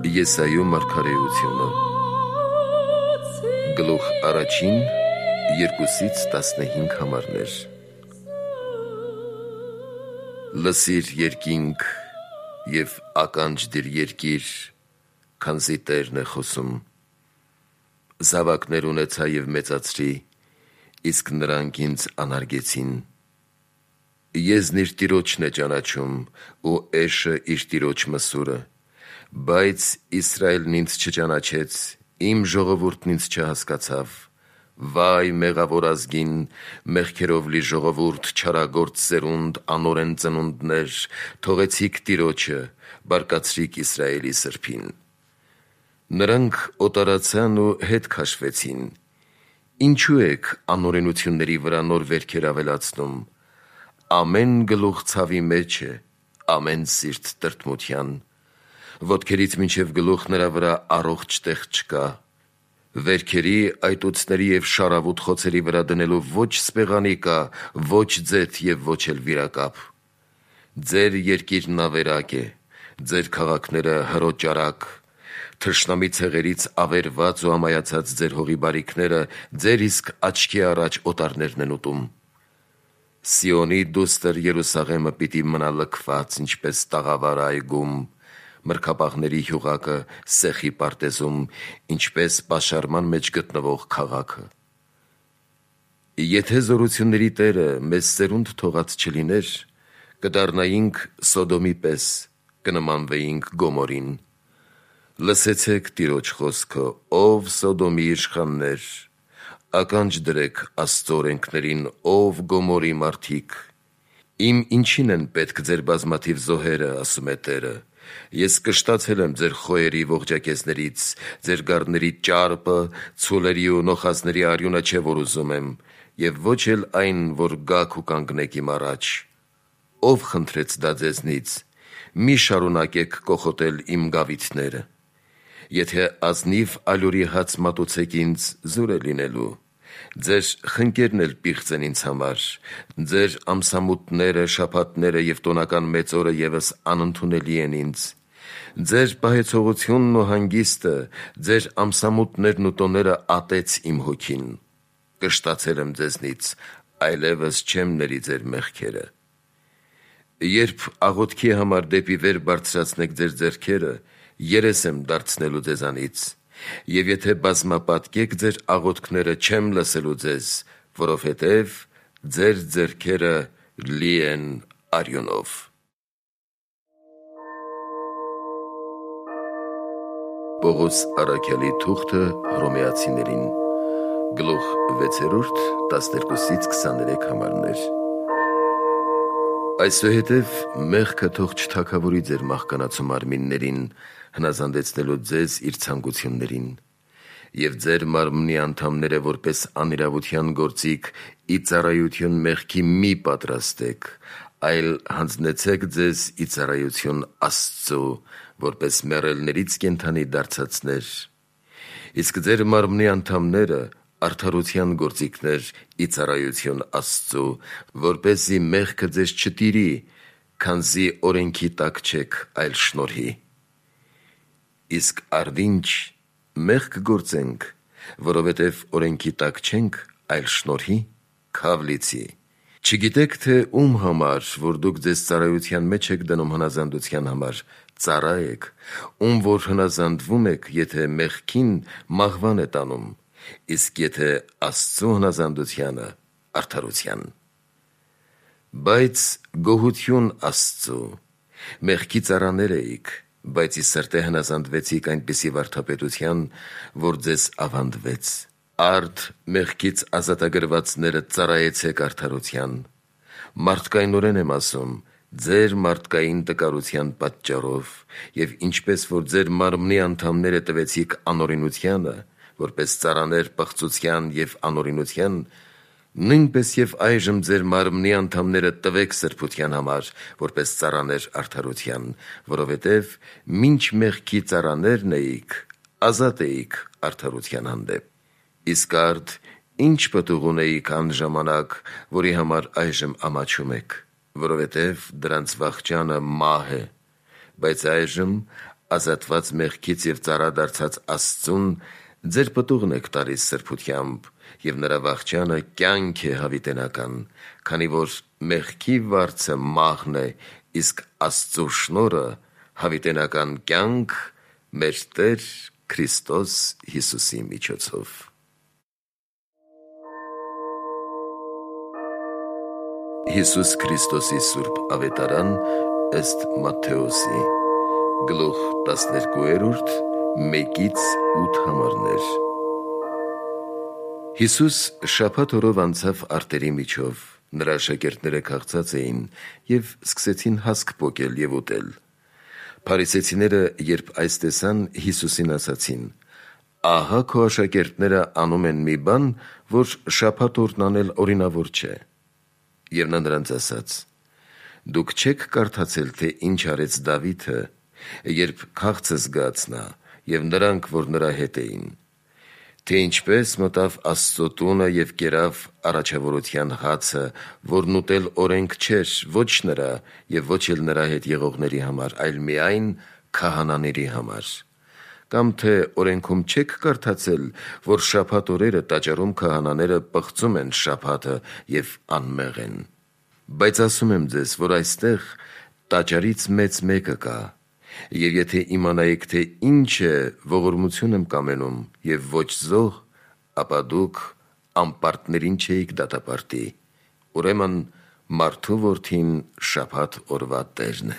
Եսայու մարգարեությունը Գլուխ առաջին 2-15 համարներ Լսիր երկինք և ականջ դիր երկիր, քանզի Տերն է խոսում։ Զավակներ ունեցա և մեծացրի, իսկ նրանք ինձ անարգեցին։ Եզն իր տիրոջն է ճանաչում, ու էշը իր տիրոջ մսուրը, բայց Իսրայելն ինձ չճանաչեց, իմ ժողովուրդն ինձ չհասկացավ։ Վայ մեղավոր ազգին, մեղքերով լի ժողովուրդ, չարագործ սերունդ, անօրեն ծնունդներ, թողեցիք Տիրոջը, բարկացրիք Իսրայելի սրբին։ Նրանք օտարացան ու հետ քաշվեցին։ Ինչու եք անօրենությունների վրա նոր վերքեր ավելացնում։ Ամեն գլուխ ցավի մեջ է, ամեն սիրտ տրտմության։ Ոտքերից մինչև գլուխ նրա վրա առողջ տեղ չկա։ Վերքերի, այտուցների և շարավուտ խոցերի վրա դնելու ոչ սպեղանի կա, ոչ ձեթ և ոչ էլ վիրակապ։ Ձեր երկիրն ավերակ է, ձեր քաղաքները հրոճարակ, թշնամի ցեղերից ավերված ու ամայացած ձեր հողի բարիքները ձեր իսկ աչքի առաջ օտարներն են ուտում։ Սիոնի դուստր Երուսաղեմը պիտի մնա լքված, ինչպես տաղավար այգում, մրգապահների հյուղակը սեխի պարտեզում, ինչպես պաշարման մեջ գտնվող քաղաքը։ Եթե զորությունների Տերը մեզ սերունդ թողած չլիներ, կդառնայինք Սոդոմի պես, կնմանվեինք Գոմորին։ Լսեցեք Տիրոջ խոսքը, ով Սոդոմի իշխաններ, ականջ դրեք Աստծո օրենքներին, ով Գոմորի մարդիկ։ Իմ ինչին են պետք ձեր բազմաթիվ զոհերը, ասում է Տերը։ Ես կշտացել եմ ձեր խոյերի ողջակեզներից, ձեր գառների ճարպը, ցուլերի ու նոխազների արյունը չէ, որ ուզում եմ, և ոչ էլ այն, որ գաք ու կանգնեք իմ առաջ։ Ով խնդրեց դա ձեզնից, մի շարունակեք կոխոտել իմ գավիթները։ Եթե ազնիվ ալյուրի հաց մատուցեք ինձ, զուր է լինելու։ Ձեր խնկերն էլ պիղծ են ինձ համար, ձեր ամսամուտները, շաբաթները և տոնական մեծ օրը ևս անընդունելի են ինձ։ Ձեր պահեցողությունն ու հանգիստը, ձեր ամսամուտներն ու տոները ատեց իմ հոգին։ Կշտացել եմ ձեզնից, այլևս չեմ ների ձեր մեղքերը։ Երբ աղոթքի համար դեպի վեր բարձրացնեք ձեր ձեռքերը, երես եմ դարձնելու ձեզանից, և եթե բազմապատկեք ձեր աղոթքները, չեմ լսելու ձեզ, որովհետև ձեր ձեռքերը լի են արյունով։ Պողոս առաքյալի թուղթը Հռոմեացիներին, գլուխ 6, 12-23 համարներ։ Այսուհետև մեղքը թող չթագավորի ձեր մահկանացու մարմիններին, հնազանդեցնելով ձեզ իր ցանկություններին, և ձեր մարմնի անդամները որպես անիրավության գործիք ի ծառայություն մեղքի մի պատրաստեք, այլ հանձնեցեք ձեզ ի ծառայություն Աստծու, որպես մեռելներից կենդանի դարձածներ, իսկ ձեր մարմնի անդամները արդարության գործիքներ ի ծառայություն Աստծու, որպեսզի մեղքը ձեզ չտիրի, քանզի օրենքի տակ չեք, այլ շնորհի։ Իսկ արդինչ մեղք գործենք, որովհետև օրենքի տակ չենք, այլ շնորհի, քավ լիցի։ Չգիտեք թե ում համար, որ դուք ձեզ ծառայության մեջ եք դնում հնազանդության համար, ծառա եք, ում որ հնազանդվում եք, եթե մեղքին, մահվան է տանում, իսկ եթե Աստծու հնազանդությանը, արդարության։ Բայց գոհություն Աստծու, մեղքի ծառաներ էիք, բայց ի սրտե հնազանդվեցիք այնպիսի վարդապետության, որ ձեզ ավանդվեց։ Արդ մեղքից ազատագրվածները ծառայեցեք արդարության։ Մարդկայնորեն եմ ասում, ձեր մարդկային տկարության պատճառով, և ինչպես որ ձեր մարմնի անդամները տվեցիք անօրենությանը, որպես ծառաներ պղծության և անօրենության, նույնպես և այժմ ձեր մարմնի անդամները տվեք սրբության համար, որպես ծառաներ արդարության, որովհետև մինչ մեղքի ծառաներն էիք, ազատ էիք արդարության հանդեպ։ Իսկ արդ ինչ պտուղ ունեիք այն ժամանակ, որի համար այժմ ամաչում եք, որովհետև դրանց վախճանը մահ է, բայց այժմ ազատված մեղքից եւ ծառադարձած Աստծուն, ձեր պտուղն եք տալիս սրբությամբ, եւ նրա վախճանը կյանք է հավիտենական, քանի որ մեղքի վարձը մահն է, իսկ Աստծո շնորհը հավիտենական կյանք մեր Տեր Քրիստոս Հիսուսի միջոցով։ Հիսուս Քրիստոսի Սուրբ Ավետարան ըստ Մատթեոսի, գլուխ 12, 1-8 Հիսուս շաբաթ օրով անցավ արտերի միջով, նրա աշակերտները քաղցած էին և սկսեցին հասկ պոկել և ուտել։ Փարիսեցիները, երբ այս տեսան, Հիսուսին ասացին. «Ահա քո աշակերտները անում են մի բան, որ շաբաթ օրն անել օրինավոր չէ»։ Եվ նա նրանց ասաց. «Դուք չեք կարդացել, թե ինչ արեց Դավիթը, երբ քաղցը զգաց նա, և նրանք, որ նրա հետ էին, թե ինչպես մտավ Աստծո տունը և կերավ առաջավորության հացը, որն ուտել օրենք չէր ոչ նրա և ոչ էլ նրա հետ եղողների համար, այլ միայն քահանաների համար։ Կամ թե օրենքում չեք կարդացել, որ շաբաթ օրերը տաճարում քահանաները պղծում են շաբաթը և անմեղ են։ Բայց ասում եմ ձեզ, որ այստեղ տաճարից մեծ մեկը կա, և եթե իմանայիք, թե ինչ է ողորմություն եմ կամենում և ոչ զոհ, ապա դուք անպարտներին չէիք դատապարտի, ուրեմն մարդու որդին շաբաթ օրվա Տերն է»։